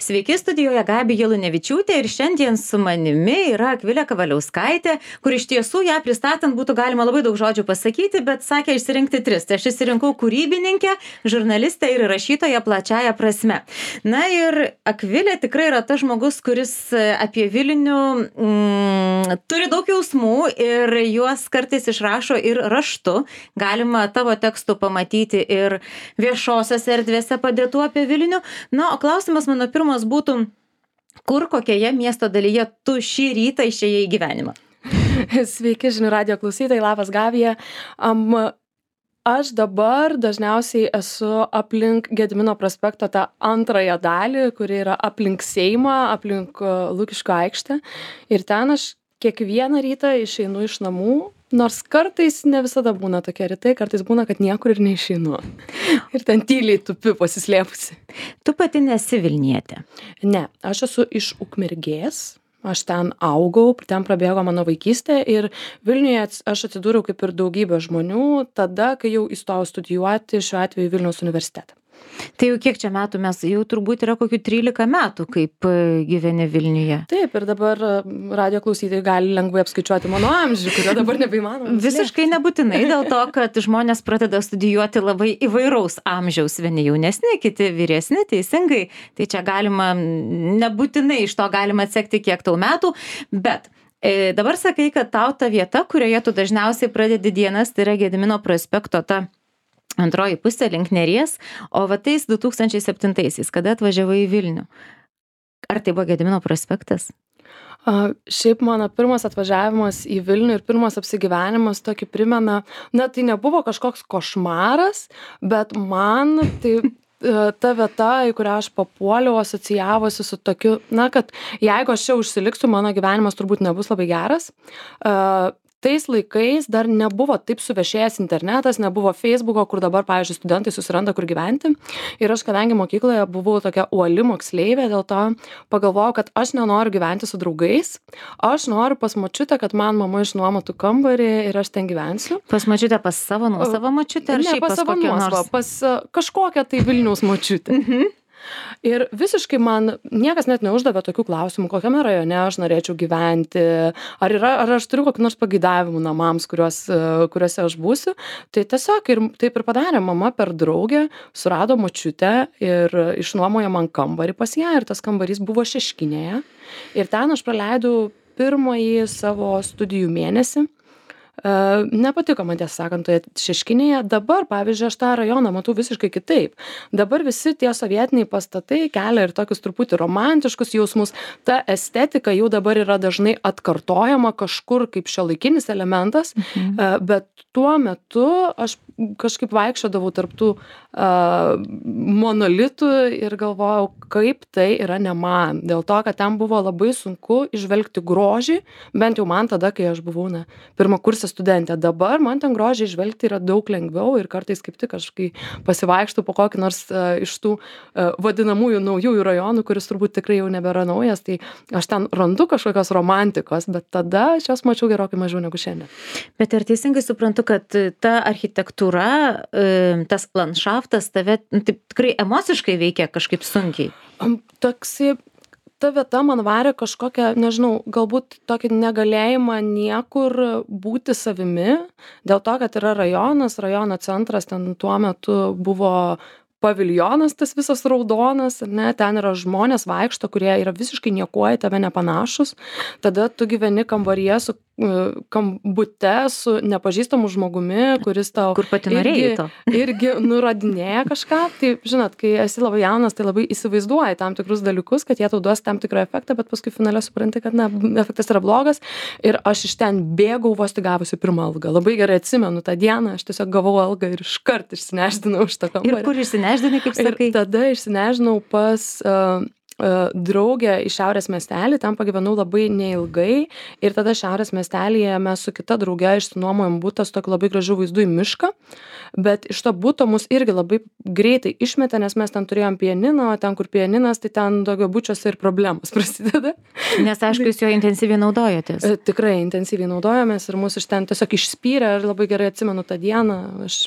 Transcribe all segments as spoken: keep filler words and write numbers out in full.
Sveiki, studijoje Gabija Lunevičiūtė ir šiandien su manimi yra Akvilė Kavaliauskaitė, kur iš tiesų ją pristatant būtų galima labai daug žodžių pasakyti, bet sakė išsirinkti tris. Tai aš išsirinkau kūrybininkę, žurnalistę ir rašytoją plačiaja prasme. Na ir Akvilė tikrai yra tas žmogus, kuris apie Vilnių mm, turi daug jausmų ir juos kartais išrašo ir raštu. Galima tavo tekstų pamatyti ir viešosiose erdvėse padėtų apie Vilnių. Na, o klausimas mano pirmas būtų, kur, kokioje miesto dalyje tu šį rytą išėjai į gyvenimą? Sveiki, žinių radijo klausytojai, labas Gabija. Um, aš dabar dažniausiai esu aplink Gedimino prospekto tą antrąją dalį, kuri yra aplink Seimą, aplink Lukiškių aikštę. Ir ten aš kiekvieną rytą išeinu iš namų, nors kartais ne visada būna tokie rytai, kartais būna, kad niekur ir neišeinu. Ir ten tyliai tupiu pasislėpusi. Tu pati nesi Vilnietė? Ne, aš esu iš Ukmergės. Aš ten augau, ten prabėgo mano vaikystė ir Vilniuje aš atsidūriau kaip ir daugybė žmonių tada, kai jau įstojau studijuoti šiuo atveju Vilniaus universitetą. Tai jau kiek čia metų mes, jau turbūt yra kokių trylika metų, kaip gyveni Vilniuje. Taip, ir dabar radijo klausytojai gali lengvai apskaičiuoti mano amžių, kurio dabar nebeįmanoma. Visiškai nebūtinai, dėl to, kad žmonės pradeda studijuoti labai įvairaus amžiaus, vieni jaunesni, kiti vyresni, teisingai. Tai čia galima, nebūtinai iš to galima atsekti, kiek tau metų, bet e, dabar sakai, kad tau ta vieta, kurioje tu dažniausiai pradedi dienas, tai yra Gedimino prospekto ta antroji pusė link Neries, o va tais du tūkstančiai septintaisiais, kada atvažiavai į Vilnių. Ar tai buvo Gedimino prospektas? A, šiaip mano pirmas atvažiavimas į Vilnių ir pirmas apsigyvenimas tokį primena, na tai nebuvo kažkoks košmaras, bet man tai ta vieta, į kurią aš papuoliau, asocijavosi su tokiu, na, kad jeigu aš čia užsiliksiu, mano gyvenimas turbūt nebus labai geras. Uh, Tais laikais dar nebuvo taip suvešėjęs internetas, nebuvo Facebooko, kur dabar, pavyzdžiui, studentai susiranda, kur gyventi. Ir aš, kadangi mokykloje buvau tokia uoli moksleivė, dėl to pagalvojau, kad aš nenoriu gyventi su draugais. Aš noriu pas močiutę, kad man mama išnuomotų kambarį ir aš ten gyvensiu. Pas močiutę, pas savo nuosavą močiutę? Ar ne, šiaip pas savo nuosavą, nors... pas uh, kažkokią tai Vilniaus močiutę. Mhm. Ir visiškai man niekas net neuždavė tokių klausimų, kokiame rajone aš norėčiau gyventi, ar, yra, ar aš turiu kokį nors pageidavimų namams, kuriuos, kuriuose aš būsiu. Tai tiesiog ir taip ir padarė mama per draugę, surado močiutę ir išnuomojo man kambarį pas ją ir tas kambarys buvo Šeškinėje. Ir ten aš praleidau pirmąjį savo studijų mėnesį. Uh, nepatiko man tiesą sakant toje Šeškinėje. Dabar, pavyzdžiui, aš tą rajoną matau visiškai kitaip. Dabar visi tie sovietiniai pastatai kelia ir tokius truputį romantiškus jausmus. Ta estetika jau dabar yra dažnai atkartojama kažkur kaip šiuolaikinis elementas, mhm. uh, bet tuo metu aš kažkaip vaikščiodavau tarptų uh, monolitų ir galvojau, kaip tai yra ne man. Dėl to, kad ten buvo labai sunku įžvelgti grožį, bent jau man tada, kai aš buvau na, pirmakursė studentė. Dabar man ten grožį įžvelgti yra daug lengviau ir kartais kaip tik aš, kai pasivaikštų po kokį nors uh, iš tų uh, vadinamųjų naujųjų rajonų, kuris turbūt tikrai jau nebėra naujas, tai aš ten randu kažkokios romantikos, bet tada aš jos mačiau gerokai mažiau negu šiandien. Bet ar teisingai suprantu, kad ta architektūra, tas landšaftas tave taip, tikrai emociškai veikia kažkaip sunkiai? Toksai, ta vieta man varė kažkokią, nežinau, galbūt tokį negalėjimą niekur būti savimi, dėl to, kad yra rajonas, rajono centras, ten tuo metu buvo paviljonas tas visas raudonas, ne, ten yra žmonės vaikšto, kurie yra visiškai niekuo į tave nepanašus, tada tu gyveni kambaryje su kambute su nepažįstamu žmogumi, kuris tau Kur pati norėjai to? irgi, irgi nurodinėja kažką. Tai, žinot, kai esi labai jaunas, tai labai įsivaizduoji tam tikrus dalykus, kad jie tau duos tam tikrą efektą, bet paskui finale supranti, kad na, efektas yra blogas. Ir aš iš ten bėgau vos tik gavusi pirmą algą. Labai gerai atsimenu tą dieną, aš tiesiog gavau algą ir iškart išsineždinau iš to kambarį. Ir kur išsineždinai, kaip sakai? Ir tada išsinežinau pas... Uh, draugę į Šiaurės miestelį, ten pagyvenau labai neilgai ir tada Šiaurės miestelyje mes su kita drauge išsinuomojom butą su tokiu labai gražiu vaizdu į mišką, bet iš to buto mus irgi labai greitai išmetė, nes mes ten turėjom pianiną, o ten, kur pianinas, tai ten daugiabučiuose ir problemos prasideda. Nes aišku, jūs jo intensyviai naudojotės. Tikrai intensyviai naudojomės ir mus iš ten tiesiog išspyrė ir labai gerai atsimenu tą dieną. Aš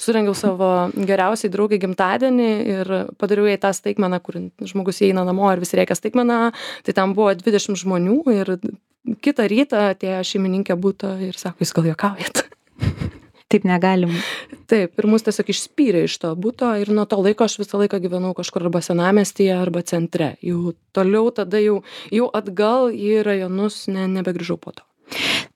surengiau savo geriausiai draugai gimtadienį ir padariau jai tą staigmeną, kur žmogus įeina namo ir visi rėkia staigmeną, tai tam buvo dvidešimt žmonių ir kitą rytą atėjo šeimininkė buto ir sako, jūs gal juokaujat? Taip negalim. Taip, ir mus tiesiog išspyrė iš to buto ir nuo to laiko aš visą laiką gyvenau kažkur arba senamiestyje, arba centre. Jau toliau tada jau, jau atgal į rajonus ne, nebegrįžau po to.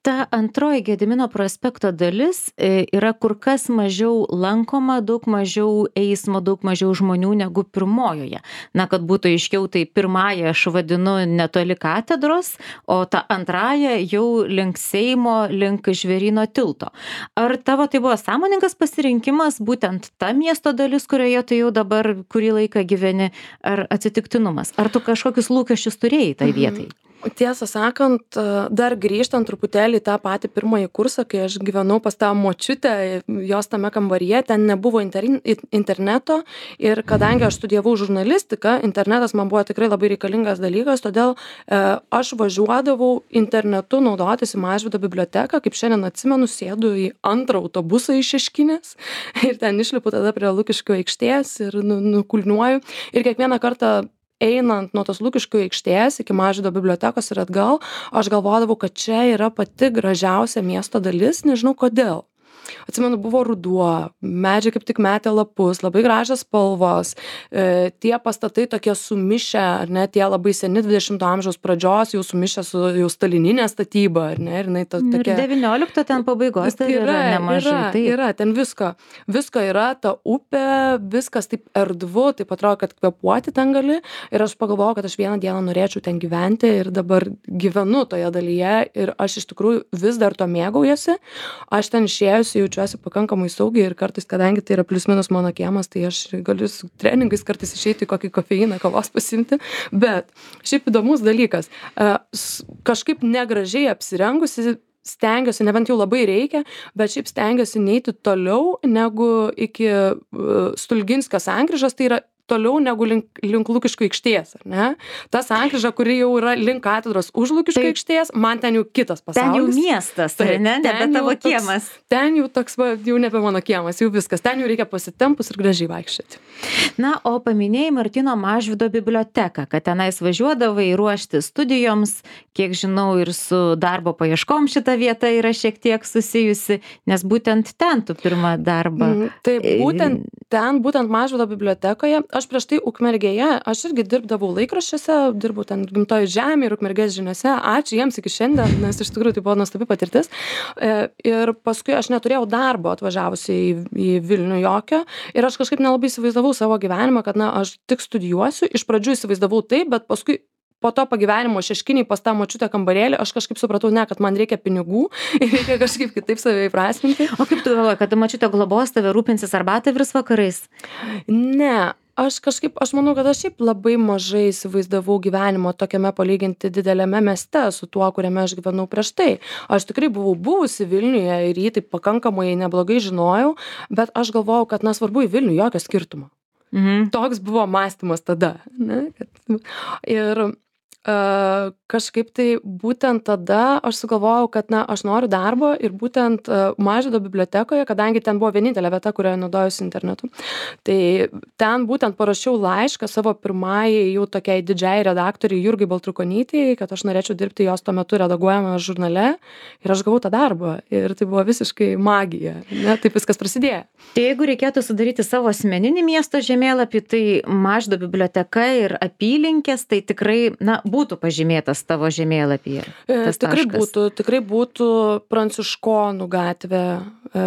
Ta antroji Gedimino prospekto dalis yra kur kas mažiau lankoma, daug mažiau eismo, daug mažiau žmonių negu pirmojoje. Na, kad būtų aiškiau, tai pirmąją aš vadinu netoli katedros, o ta antrąją jau link Seimo, link Žvėryno tilto. Ar tavo tai buvo sąmoningas pasirinkimas, būtent ta miesto dalis, kurioje tu jau dabar kurį laiką gyveni, ar atsitiktinumas? Ar tu kažkokius lūkesčius turėjai tai vietai? Mhm. Tiesą sakant, dar grįžtant truputėlį į tą patį pirmąjį kursą, kai aš gyvenau pas tą močiutę, jos tame kambaryje, ten nebuvo interneto ir kadangi aš studijavau žurnalistiką, internetas man buvo tikrai labai reikalingas dalykas, todėl e, aš važiuodavau internetu naudotis į Mažvydo biblioteką, kaip šiandien atsimenu, sėdu į antrą autobusą iš Šeškinės ir ten išlipu tada prie Lukiškių aikštės ir nu, nukulniuoju ir kiekvieną kartą einant nuo tos Lukiškių aikštės iki Mažvydo bibliotekos ir atgal, aš galvodavau, kad čia yra pati gražiausia miesto dalis, nežinau kodėl. Atsimenu, buvo ruduo, medžiai kaip tik metė lapus, labai gražios spalvos, e, tie pastatai tokie sumišę, ar ne, tie labai seni dvidešimto amžiaus pradžios, jau sumišę su jau stalininė statyba, ar ne, ir jinai ta, tokia... Ir devyniolikto ten pabaigos, tai yra, yra nemažai. Yra, tai... yra, ten visko, visko yra, ta upė, viskas taip erdvu, taip atrodo, kad kvėpuoti ten gali, ir aš pagalvojau, kad aš vieną dieną norėčiau ten gyventi ir dabar gyvenu toje dalyje ir aš iš tikrųjų vis dar to mėgaujasi, aš ten išėjusi jaučiuosi pakankamai saugiai ir kartais, kadangi tai yra plius minus mano kiemas, tai aš galiu su treningais kartais išeiti kokį kofeiną, kavos pasimti, bet šiaip įdomus dalykas, kažkaip negražiai apsirengusi, stengiuosi, nebent jau labai reikia, bet šiaip stengiuosi neiti toliau negu iki Stulginskio sankryžos, tai yra toliau negu link, link Lukiškių aikštės, ar ne? Ta sankryža, kuri jau yra link katedros už Lukiškių aikštės, man ten jau kitas pasaulis. Ten jau miestas, tai ne, nebe tavo toks, kiemas. Ten jau toks, va, jau nebe mano kiemas, jau viskas. Ten jau reikia pasitempus ir gražiai vaikščioti. Na, o paminėjai Martyno Mažvydo biblioteką, kad tenais važiuodavai ruošti studijoms, kiek žinau, ir su darbo paieškom šita vieta yra šiek tiek susijusi, nes būtent ten tu pirmą darbą. Mm, taip, būtent ten, būtent Mažvydo bibliotekoje. Aš prieš tai Ukmergėje, aš irgi dirbdavau laikraščiuose, dirbau ten Gimtoji žemė ir Ukmergės žiniose. Ačiū jiems iki šiandien, nes iš tikrųjų tai buvo nuostabi patirtis. Ir paskui aš neturėjau darbo atvažiavusi į, į Vilnių jokio ir aš kažkaip nelabai įsivaizdavau savo gyvenimą, kad na, aš tik studijuosiu. Iš pradžių įsivaizdavau taip, bet paskui po to pagyvenimo Šeškinėj pas tą močiutę kambarėlį, aš kažkaip supratau, ne, kad man reikia pinigų ir reikia kažkaip kitaip save įprasminti. O kaip tu galvoji, kad močiutė globos tave rūpinsis arbatą virs vakarais? Ne. Aš kažkaip, aš manau, kad aš šiaip labai mažai įsivaizdavau gyvenimo tokiame palyginti dideliame mieste su tuo, kuriame aš gyvenau prieš tai. Aš tikrai buvau buvusi Vilniuje ir jį taip pakankamai neblogai žinojau, bet aš galvojau, kad nesvarbu į Vilnių jokio skirtumo. Mhm. Toks buvo mąstymas tada. Ne? Ir Uh, kažkaip tai būtent tada aš sugalvojau, kad na, aš noriu darbo ir būtent uh, Mažvydo bibliotekoje, kadangi ten buvo vienintelė vieta, kurioje naudojusi internetu, tai ten būtent parašiau laišką savo pirmajai jau tokiai didžiai redaktoriai Jurgai Baltrukonytei, kad aš norėčiau dirbti jos tuo metu redaguojame žurnale ir aš gavau tą darbą ir tai buvo visiškai magija, ne? Taip viskas prasidėjo. Tai jeigu reikėtų sudaryti savo asmeninį miesto žemėlapį, tai Mažvydo biblioteka ir apylinkės, tai tikrai, na, būtų pažymėtas tavo žemėlapyje? E, tikrai taškas. būtų, tikrai būtų Pranciškonų gatvė. E,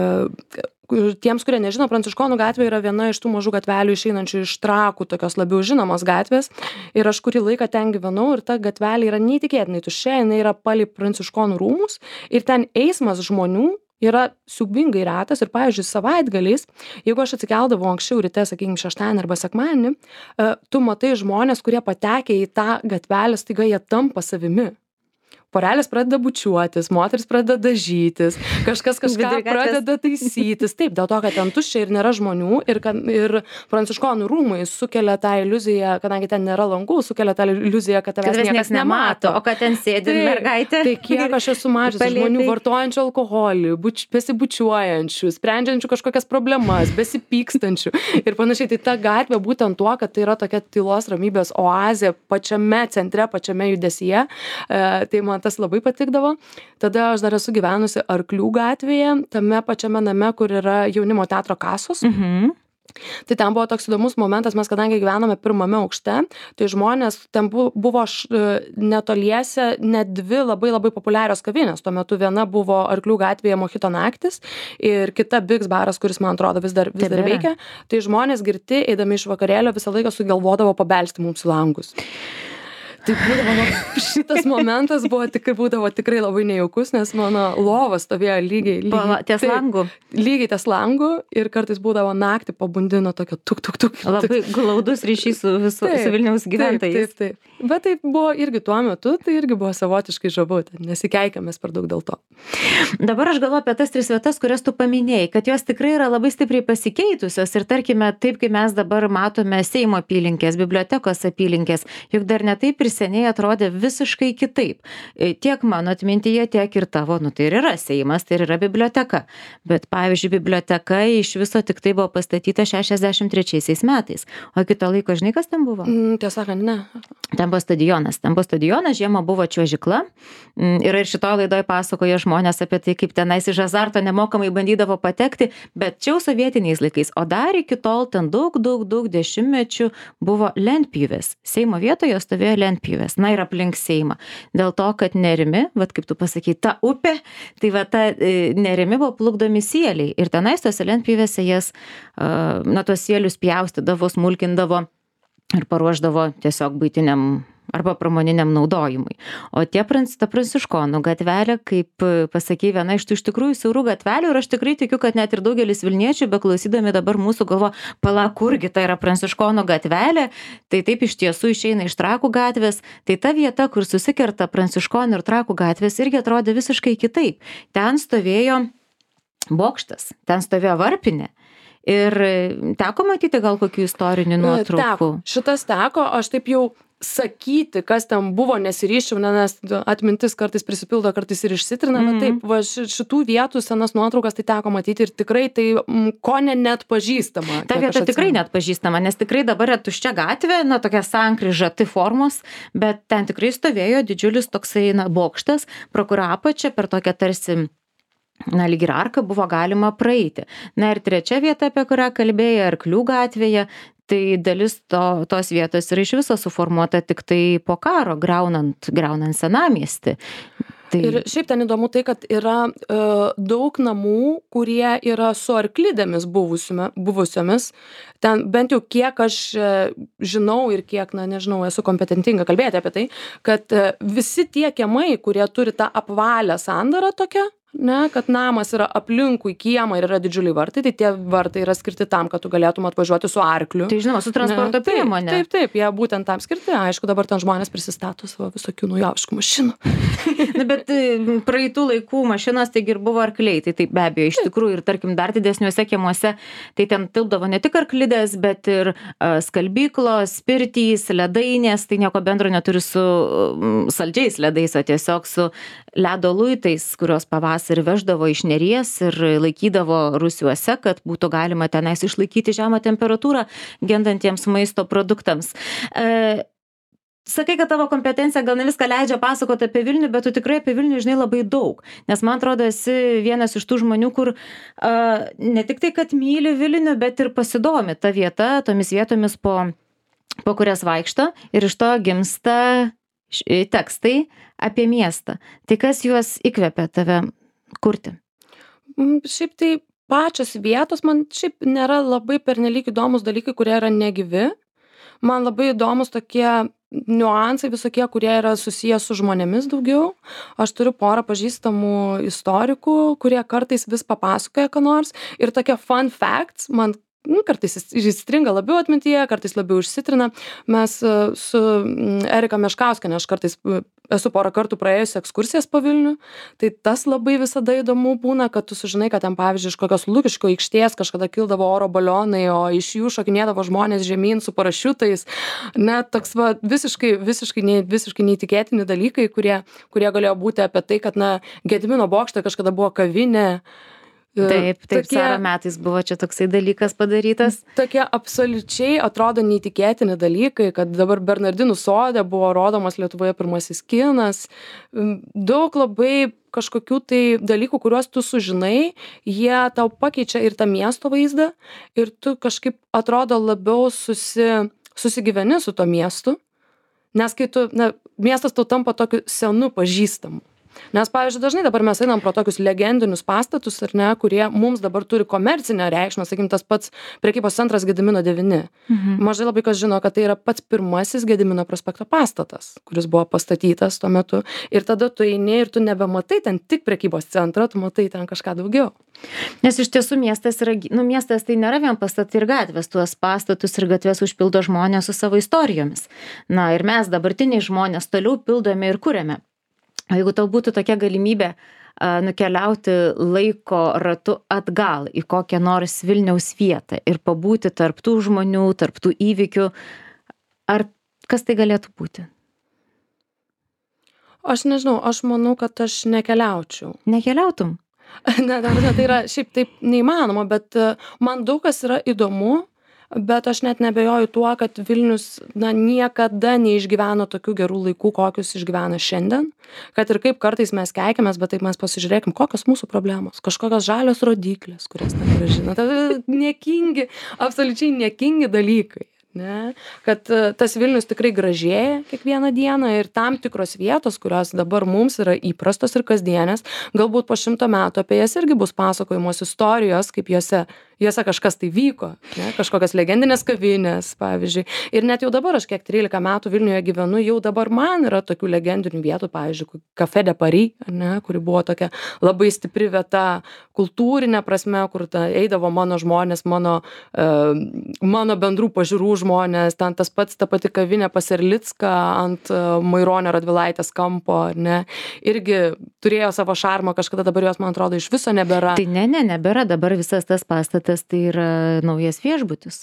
tiems, kurie nežino, Pranciškonų gatvė yra viena iš tų mažų gatvelių išeinančių iš Trakų, tokios labiau žinomos gatvės. Ir aš kurį laiką ten gyvenau ir ta gatvelė yra neįtikėtinai tuščia, jinai yra palei Pranciškonų rūmus ir ten eismas žmonių yra siaubingai retas ir, pavyzdžiui, savaitgaliais, jeigu aš atsikeldavau anksčiau ryte, sakykime, šeštadienį arba sekmadienį, tu matai žmonės, kurie patekę į tą gatvelę, staiga jie tampa savimi. porelės pradeda bučiuotis, moteris pradeda dažytis, kažkas kažką Vidury gatvės. pradeda taisytis. Taip, dėl to, kad ten tuščia ir nėra žmonių ir, kad, ir pranciškonų rūmai sukelia tą iliuziją, kadangi ten nėra langų, sukelia tą iliuziją, kad tavęs Kad tavęs niekas niekas nemato, nemato. o kad ten sėdi Taip, mergaitė. Tai kiek aš esu mačiusi Palėpėj. žmonių vartojančių alkoholį, buč, besibučiuojančių, sprendžiančių kažkokias problemas, besipykstančių ir panašiai. Tai ta gatvė būtent tuo, kad tai yra tokia tylos ramybės oazė pačiame centre, pačiame judesyje. E, tai man tas labai patikdavo. Tada aš dar esu gyvenusi Arklių gatvėje, tame pačiame name, kur yra jaunimo teatro kasos. Mhm. Tai ten buvo toks įdomus momentas, mes kadangi gyvename pirmame aukšte, tai žmonės, ten bu- buvo š- netoliese net dvi labai labai populiarios kavinės. Tuo metu viena buvo Arklių gatvėje Mojito naktis ir kita Bigs baras, kuris man atrodo vis dar, vis dar Tebėra. veikia. Tai žmonės girti, eidami iš vakarėlio, visą laiką sugalvodavo pabelsti mums į langus. Tai būdavo, šitas momentas buvo tikrai, būdavo tikrai labai nejaukus, nes mano lova stovėjo lygiai, lygiai, Po- ties taip, langu. lygiai ties langu ir kartais būdavo naktį pabundino tokio tuk, tuk, tuk. Labai glaudus ryšys su, visu, Taip, su Vilniaus gyventojais. Taip, taip, taip. Bet tai buvo irgi tuo metu, tai irgi buvo savotiškai žavu, ten nesikeikėmės per daug dėl to. Dabar aš galvoju apie tas tris vietas, kurias tu paminėjai, kad jos tikrai yra labai stipriai pasikeitusios ir tarkime, taip kaip mes dabar matome Seimo apylinkės, bibliotekos apylinkės, juk dar ne taip ir seniai atrodė visiškai kitaip. E, Tiek mano atmintyje, tiek ir tavo, nu tai ir yra Seimas, tai ir yra biblioteka. Bet pavyzdžiui, biblioteka iš viso tik tai buvo pastatyta šešiasdešimt trečiaisiais metais. O iki to laiko, žinai, kas ten buvo? Mm, tiesą sakant, ne. Ten buvo stadionas. Ten buvo stadionas, žiemą buvo čiuožykla. Mm, Ir ir šitoje laidoje pasakoja žmonės apie tai, kaip tenais iš azarto nemokamai bandydavo patekti, bet čia jau sovietiniais laikais. O dar iki tol ten daug, daug, daug dešimtmečių buvo lentpjūvės. Seimo vietoje stovėjo lentpjūvės. Na ir aplink Seimą. Dėl to, kad nerimi, vat kaip tu pasakai, ta upė, tai va ta e, nerimi buvo plukdomi sieliai. Ir tenais tose lentpjūvėse jas, uh, na, tuos sielius pjaustydavo, smulkindavo ir paruošdavo tiesiog buitiniam arba pramoniniam naudojimui. O tie prans, ta Pranciškonų gatvelė, kaip e, pasakei, viena iš tų iš tikrųjų siaurų gatvelių ir aš tikrai tikiu, kad net ir daugelis Vilniečių, beklausydami dabar mūsų galvo, pala, kurgi tai yra Pranciškonų gatvelė, tai taip iš tiesų išeina iš Trakų gatvės, tai ta vieta, kur susikerta Pranciškonų ir Trakų gatvės, irgi atrodė visiškai kitaip. Ten stovėjo bokštas, ten stovėjo varpinė. Ir teko matyti gal kokių istorinių nuotraukų? Teko. Šitas teko, aš taip jau sakyti, kas ten buvo, nesiryščiau, nes atmintis kartais prisipildo, kartais ir išsitrina, bet taip, va, ši- šitų vietų senas nuotraukas tai teko matyti ir tikrai tai mm, ko ne net pažįstama. Ta vieta tikrai net pažįstama, nes tikrai dabar yra tuščia gatvė, na, tokia sankryža, tai formos, bet ten tikrai stovėjo didžiulis toksai, na, bokštas, pro kurio apačią per tokią tarsi, na, lyg ir arką buvo galima praeiti. Na ir trečia vieta, apie kurią kalbėjai, Arklių gatvėje, tai dalis to, tos vietos yra iš viso suformuota tik tai po karo, griaunant, griaunant senamiestį. Tai... Ir šiaip ten įdomu tai, kad yra e, daug namų, kurie yra su arklidėmis buvusime- buvusiomis. Ten bent jau kiek aš e, žinau ir kiek, na nežinau, esu kompetentinga kalbėti apie tai, kad e, visi tie kiemai, kurie turi tą apvalę sandarą tokią, ne, kad namas yra aplinkui kiemą ir yra didžiuliai vartai, tai tie vartai yra skirti tam, kad tu galėtum atvažiuoti su arkliu. Tai žinoma, su transporto Ne, priemonė. Taip, taip, taip, jie būtent tam skirti. Aišku, dabar ten žmonės prisistato savo visokių naujoviškų mašinų. Na, bet e, praeitų laikų mašinos taigi ir buvo arkliai, tai taip be abejo, iš tikrųjų ir tarkim dar didesniuose kiemuose, tai ten tilpdavo ne tik arklidės, bet ir uh, skalbyklos, pirtys, ledainės, tai nieko bendro neturi su um, saldžiais ledais, o tiesiog su ledo luitais, kurios pavasarį veždavo iš Neries ir laikydavo rūsiuose, kad būtų galima tenais išlaikyti žemą temperatūrą gendantiems maisto produktams. E, Sakai, kad tavo kompetencija gal ne viską leidžia pasakoti apie Vilnių, bet tu tikrai apie Vilnių žinai labai daug. Nes man atrodo, esi vienas iš tų žmonių, kur uh, ne tik tai, kad myli Vilnių, bet ir pasidomi ta vieta, tomis vietomis, po, po kurias vaikšto ir iš to gimsta š- tekstai apie miestą. Tai kas juos įkvepia tave kurti? Mm, Šiaip tai pačios vietos man šiaip nėra labai pernelyg įdomus dalykai, kurie yra negyvi. Man labai įdomus tokie niuansai visokie, kurie yra susiję su žmonėmis daugiau. Aš turiu porą pažįstamų istorikų, kurie kartais vis papasakoja ką nors. Ir tokie fun facts man nu, kartais įstringa labiau atmintyje, kartais labiau išsitrina. Mes su Erika Meškauskiene, aš kartais esu porą kartų praėjusi ekskursijas po Vilnių, tai tas labai visada įdomu būna, kad tu sužinai, kad ten, pavyzdžiui, iš kokios Lukiškių aikštės kažkada kildavo oro balionai, o iš jų šokinėdavo žmonės žemyn su parašiutais. Net toks va, visiškai, visiškai, ne, visiškai neįtikėtini dalykai, kurie, kurie galėjo būti apie tai, kad na, Gedimino bokšte kažkada buvo kavinė. Taip, taip, tokie, Caro metais buvo čia toksai dalykas padarytas. Tokie absoliučiai atrodo neįtikėtini dalykai, kad dabar Bernardinų sode buvo rodomas Lietuvoje pirmasis kinas. Daug labai kažkokių tai dalykų, kuriuos tu sužinai, jie tau pakeičia ir tą miesto vaizdą ir tu kažkaip atrodo labiau susi, susigyveni su to miestu, nes kai tu, na, miestas tau tampa tokiu senu pažįstamu. Nes, pavyzdžiui, dažnai dabar mes einam pro tokius legendinius pastatus, ar ne, kurie mums dabar turi komercinę reikšmę, sakykim, tas pats prekybos centras Gedimino devyni. Mhm. Mažai labai kas žino, kad tai yra pats pirmasis Gedimino prospekto pastatas, kuris buvo pastatytas tuo metu. Ir tada tu eini ir tu nebematai ten tik prekybos centrą, tu matai ten kažką daugiau. Nes iš tiesų miestas yra, nu, miestas tai nėra vien pastatai ir gatvės, tuos pastatus ir gatves užpildo žmonės su savo istorijomis. Na ir mes, dabartiniai žmonės, toliau pildome ir kuriame. O jeigu tau būtų tokia galimybė a, nukeliauti laiko ratu atgal į kokią nors Vilniaus vietą ir pabūti tarp tų žmonių, tarp tų įvykių, ar kas tai galėtų būti? Aš nežinau, aš manau, kad aš nekeliaučiau. Nekeliautum? Ne, ne, tai yra šiaip taip neįmanoma, bet man daug kas yra įdomu. Bet aš net nebejoju tuo, kad Vilnius na, niekada neišgyveno tokių gerų laikų, kokius išgyvena šiandien. Kad ir kaip kartais mes keikiamės, bet taip mes pasižiūrėkim, kokios mūsų problemos. Kažkokios žalios rodiklės, kurias negražina. Tai niekingi, absoliučiai niekingi dalykai. Ne? Kad tas Vilnius tikrai gražėja kiekvieną dieną ir tam tikros vietos, kurios dabar mums yra įprastos ir kasdienės, galbūt po šimto metų apie jas irgi bus pasakojamos istorijos, kaip jose, jose kažkas tai vyko, ne? Kažkokios legendinės kavinės, pavyzdžiui. Ir net jau dabar aš kiek trylika metų Vilniuje gyvenu, jau dabar man yra tokių legendinių vietų, pavyzdžiui, Café de Paris, ne? Kuri buvo tokia labai stipri vieta kultūrinė prasme, kur ta, eidavo mano žmonės, mano, uh, mano bendrų pažiūrų žmonės, ten tas pats, ta pati kavinė pas Erlicką ant uh, Maironio Radvilaitės kampo, ne, irgi turėjo savo šarmą, kažkada dabar jos, man atrodo, iš viso nebėra. Tai ne, ne, nebėra, dabar visas tas pastatas tai yra naujas viešbutis.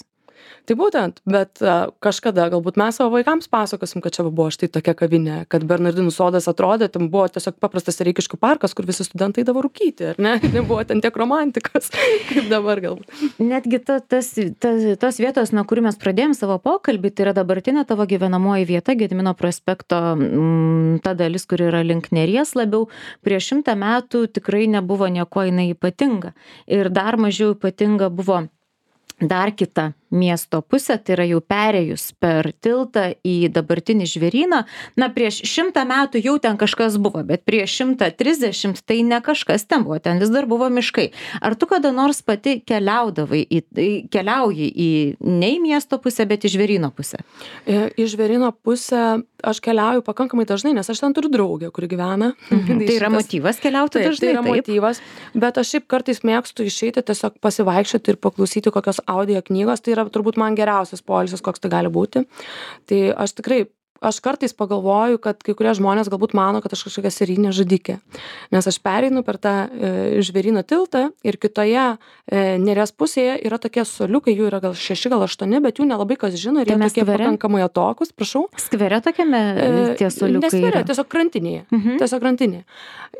Tai būtent, bet uh, kažkada galbūt mes savo vaikams pasakosim, kad čia buvo štai tokia kavinė, kad Bernardinų sodas atrodė, ten buvo tiesiog paprastas Reikiškių parkas, kur visi studentai eidavo rūkyti, ar ne? Nebuvo ten tiek romantikos, kaip dabar galbūt. Netgi ta, tas, ta, tos vietos, nuo kurių mes pradėjom savo pokalbį, tai yra dabartinė tavo gyvenamoji vieta, Gedimino prospekto m, ta dalis, kur yra link Neries labiau. Prieš šimtą metų tikrai nebuvo nieko jinai ypatinga. Ir dar mažiau ypatinga buvo dar kita miesto pusė, tai yra jau perėjus per tiltą į dabartinį žvėryną. Na, prieš šimtą metų jau ten kažkas buvo, bet prieš šimtą trisdešimt tai ne kažkas ten buvo, ten vis dar buvo miškai. Ar tu kada nors pati keliaudavai, į, keliauji į ne į miesto pusę, bet į žvėryno pusę? Į žvėryno pusę aš keliauju pakankamai dažnai, nes aš ten turiu draugę, kuri gyvena. Mhm. Tai yra motyvas keliauti taip, dažnai? Tai yra taip? motyvas, bet aš šiaip kartais mėgstu išeiti, tiesiog pasivaikščioti ir paklausyti kokios audio knygos. Tai yra turbūt man geriausias poilsis, koks tai gali būti. Tai aš tikrai, aš kartais pagalvoju, kad kai kurie žmonės galbūt mano, kad aš kažkokia serijinė žudikė. Nes aš pereinu per tą e, žvėryno tiltą ir kitoje e, Neries pusėje yra tokie soliukai, jų yra gal šeši, gal aštuoni, bet jų nelabai kas žino ir tai jie tokie skvere? Pakankamai atokus, prašau. Skvere tokiame tie soliukai? Neskvere, yra? tiesiog krantinėje. Mhm. Tiesiog krantinėje.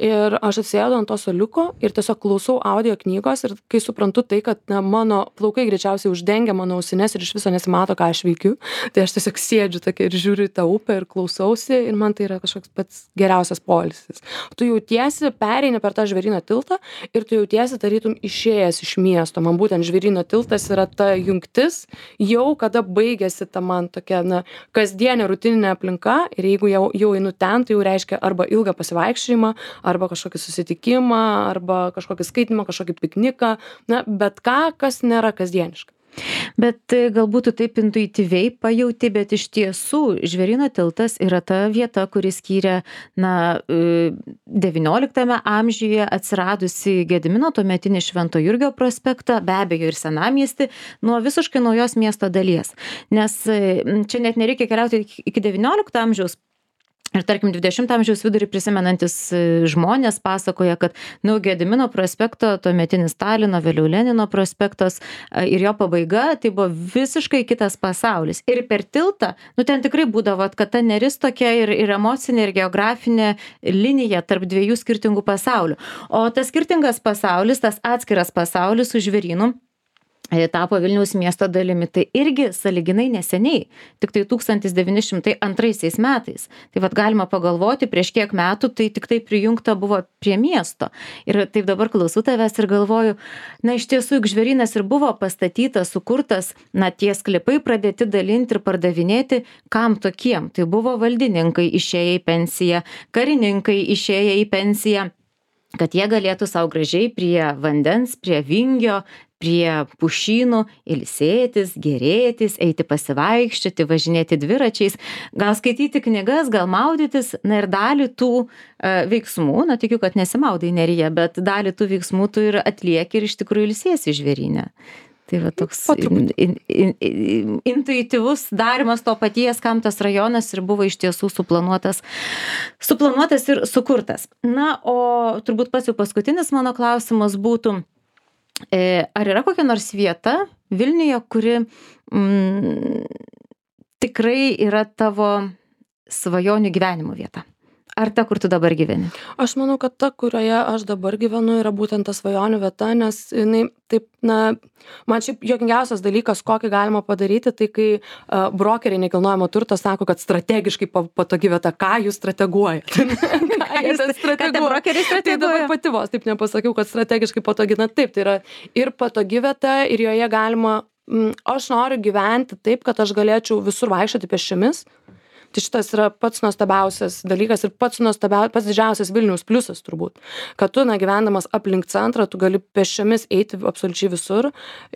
Ir aš atsėdu ant to soliuko ir tiesiog klausau audio knygos ir kai suprantu tai, kad na, mano plaukai greičiausiai uždengia mano ausines ir iš viso nesimato, ką aš veikiu, tai aš tiesiog sėdžiu tokia ir žiūriu tą upę ir klausausi ir man tai yra kažkoks pats geriausias poilsis. Tu jautiesi, pereini per tą žvėryno tiltą ir tu jautiesi tarytum išėjęs iš miesto. Man būtent žvėryno tiltas yra ta jungtis, jau kada baigėsi ta man tokia na, kasdienė rutininė aplinka ir jeigu jau, jau einu ten, tai jau reiškia arba ilgą pasivaikščiojimą, arba kažkokį susitikimą, arba kažkokį skaitimą, kažkokį pikniką, na, bet ką, kas nėra kasdieniška. Bet e, galbūt tu taip intuityviai pajauti, bet iš tiesų Žvėryno tiltas yra ta vieta, kuri skyrė, na, e, devynioliktame amžiuje atsiradusi Gedimino tuometinį Švento Jurgio prospektą, be abejo ir senamiestį, nuo visiškai naujos miesto dalies. Nes e, čia net nereikia keliauti iki iki devyniolikto amžiaus. Ir tarkim, dvidešimto amžiaus vidurį prisimenantis e, žmonės pasakoja, kad, nu, Gedimino prospekto, tuometinis Stalino, vėliau Lenino prospektas e, ir jo pabaiga, tai buvo visiškai kitas pasaulis. Ir per tiltą, nu, ten tikrai būdavo, kad ta neris tokia ir, ir emocinė, ir geografinė linija tarp dviejų skirtingų pasaulių. O tas skirtingas pasaulis, tas atskiras pasaulis su Žvėrynu, e, tapo Vilniaus miesto dalimi, tai irgi sąlyginai neseniai, tik tai tūkstantis devyni šimtai antraisiais metais. Tai vat galima pagalvoti, prieš kiek metų tai tik tai prijungta buvo prie miesto. Ir taip dabar klausau tavęs ir galvoju, na iš tiesų, juk Žvėrynas ir buvo pastatytas, sukurtas, na tie sklypai pradėti dalinti ir pardavinėti, kam tokiem. Tai buvo valdininkai išėję į pensiją, karininkai išėję į pensiją, kad jie galėtų savo gražiai prie vandens, prie vingio, prie pušynų ilsėtis, gėrėtis, eiti pasivaikščioti, važinėti dviračiais, gal skaityti knygas, gal maudytis, na ir dalį tų e, veiksmų, na tikiu, kad nesimaudai Neryje, bet dalį tų veiksmų tu ir atlieki ir iš tikrųjų ilsiesi Žvėryne. Tai va toks in, in, in, in, intuityvus darimas to paties, kam tas rajonas ir buvo iš tiesų suplanuotas, suplanuotas ir sukurtas. Na, o turbūt pats jau paskutinis mano klausimas būtų, E, ar yra kokia nors vieta Vilniuje, kuri mm, tikrai yra tavo svajonių gyvenimo vieta? Ar ta, kur tu dabar gyveni? Aš manau, kad ta, kurioje aš dabar gyvenu, yra būtent ta svajonių vieta, nes jinai taip, na, man šiaip juokingiausias dalykas, kokį galima padaryti, tai kai uh, brokeriai nekilnojamo turto sako, kad strategiškai patogi vieta, ką jūs strateguojate? ką jūs strateguojate? Tai dabar pati vos taip nepasakiau, kad strategiškai patogi, na taip, tai yra ir patogi vieta, ir joje galima, m, aš noriu gyventi taip, kad aš galėčiau visur vaikščioti pėsčiomis. Tai šitas yra pats nuostabiausias dalykas ir pats nuostabiausias, pats didžiausias Vilniaus pliusas turbūt. Kad tu, na, gyvendamas aplink centrą, tu gali pėsčiomis eiti absoliučiai visur.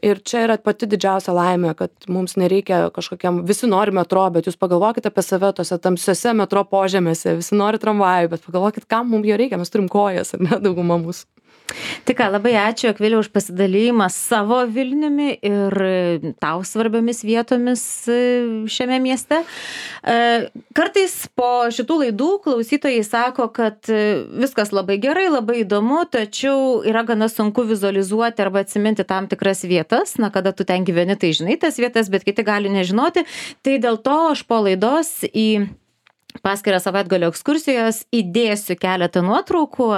Ir čia yra pati didžiausia laimė, kad mums nereikia kažkokiam, visi nori metro, bet jūs pagalvokite apie save tose tamsiose metro požemėse, visi nori tramvajų, bet pagalvokit, kam mums jo reikia, mes turim kojas, ar ne, dauguma mūsų. Tik ką, labai ačiū, Akvilė, už pasidalymą savo Vilniumi ir tau svarbiomis vietomis šiame mieste. Kartais po šitų laidų klausytojai sako, kad viskas labai gerai, labai įdomu, tačiau yra gana sunku vizualizuoti arba atsiminti tam tikras vietas. Na, kada tu ten gyveni, tai žinai tas vietas, bet kiti gali nežinoti. Tai dėl to aš po laidos į paskirą savaitgalio ekskursijos įdėsiu keletą nuotraukų,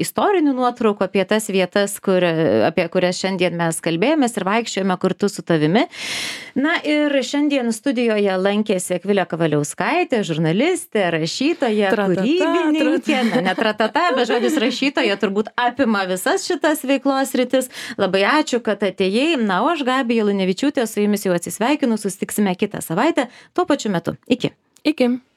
istorinių nuotraukų apie tas vietas, kur, apie kurias šiandien mes kalbėjomės ir vaikščiojome kartu su tavimi. Na ir šiandien studijoje lankėsi Akvilė Kavaliauskaitė, žurnalistė, rašytoja, kūrybininkė, na, ne tratata, bet žodis rašytoja turbūt apima visas šitas veiklos rytis. Labai ačiū, kad atėjai. Na, o aš, Gabija Lunevičiūtė, su jumis jau atsisveikinu, susitiksime kitą savaitę tuo pačiu metu. Iki. Iki.